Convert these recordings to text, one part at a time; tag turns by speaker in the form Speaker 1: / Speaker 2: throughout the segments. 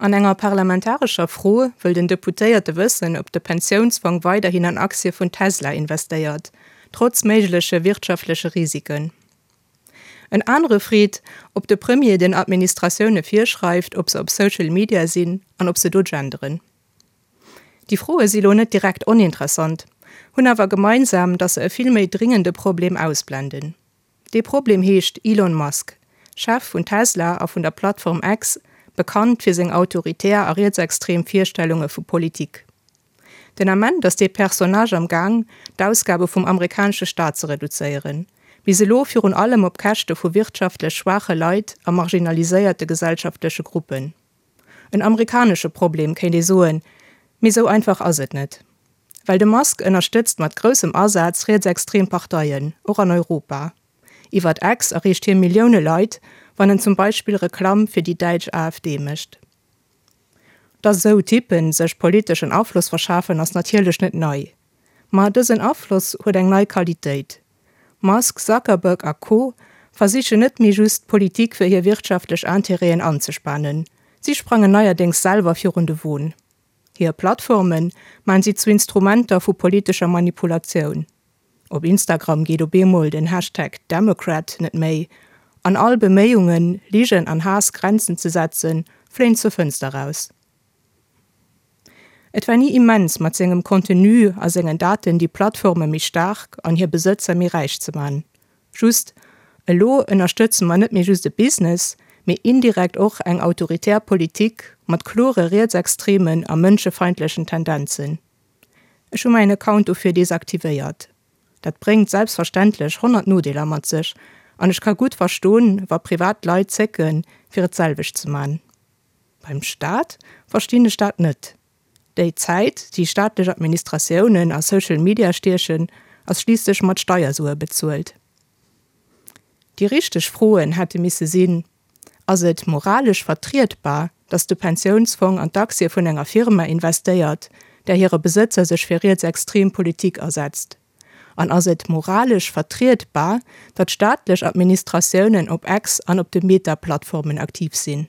Speaker 1: An enger parlamentarescher Fro wëll den Deputéierte wëssen, ob de Pensiounsfong weiderhin an Aktie vun Tesla investéiert, trotz méigleche wirtschaftleche Risiken. En anere freet, ob de Premier den Administratioune virschreift, ob se op Social Media sinn an ob se do genderen. Déi Froe si lo net direkt oninteressant, hunn awer gemeinsam, datt se e vill méi dringende Problem ausblenden. Dee Problem heescht Elon Musk, Chef vun Tesla a vun der Plattform X, bekannt fir seng autoritär a rietsextrem Virstellunge vu Politik. Den Ament ass dee Personnage am Gaang, d'Ausgabe vum amerikanesche Staat ze reduzéieren, bis elo virun allem op Käschte vu wirtschaftlech schwaache Leit a marginaliséierte gesellschaftleche Gruppen. En amerikanesche Problem, kéint ee soen, mee sou einfach ass et net. Well de Musk ënnerstëtzt mat groussem Asaz rietsextrem Parteien, och an Europa. Iwwert X erreecht hie Millioune Leit, wann en zum Beispill Reklamm fir déi däitsch AfD mécht. Dass esou Typpen sech politeschen Afloss verschafen ass natierlech net nei. Ma dësen Afloss huet eng nei Qualitéit. Musk, Zuckerberg a Co. Versichen net méi just, d'Politik fir hir wirtschaftlech Intérêten anzespanen. Si sprangen neierdéngs selwer virun de Won. Hir Plattforme maan si zu Instrumenter vu politescher Manipulatioun. Op Instagram geet op eemol den Hashtag Democrat net méi, an all Beméiungen, Ligen an Haass Grenzen ze setzen, fléien zur Fënster raus. Et war ni immens, mat sengem Contenu a sengen Daten déi Plattforme méi staark an hir Besëtzer méi räich ze man. Just, elo ënnerstëtze mer net méi just e Business, mee indirekt och eng autoritär Politik mat klore rietsextremen a mënschefeindlechen Tendenzen. Ech hu mäin Account dofir desaktivéiert. Dat bréngt selbstverständlech 100 Nodeeler mat sech an ech ka gutt verstoen, wa privat Leit zécken, fir et d'selwecht ze man. Beim Staat verstinn ech dat net. Déi Zäit, déi staatlech Administratiounen a Social Media stiechen, ass schliisslech mat Steiersue bezuelt. Déi richteg Froen hätte misse sinn, Ass et moralesch vertrietbar, datt de Pensiounsfong an d'Aktie vun enger Firma investéiert, där hire Besëtzer sech fir rietsextrem Politik asetzt? An ass et moralesch vertrietbar, datt staatlech Administratiounen op X an op de Meta-Plattformen aktiv sinn?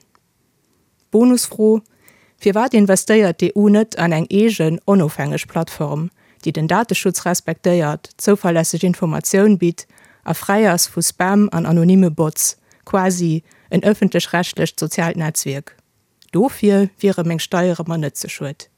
Speaker 1: Bonusfro, Firwat investéiert d'EU net an eng eegen, onofhängeg Plattform, déi den Dateschutz respektéiert, zouverlässeg Informatioun bitt a fräi ass vu Spam an anonyme Bots, quasi en ëffentlech-rechtlecht soziaalt Netzwierk? Dofir wiere meng Steiere mer net ze schued.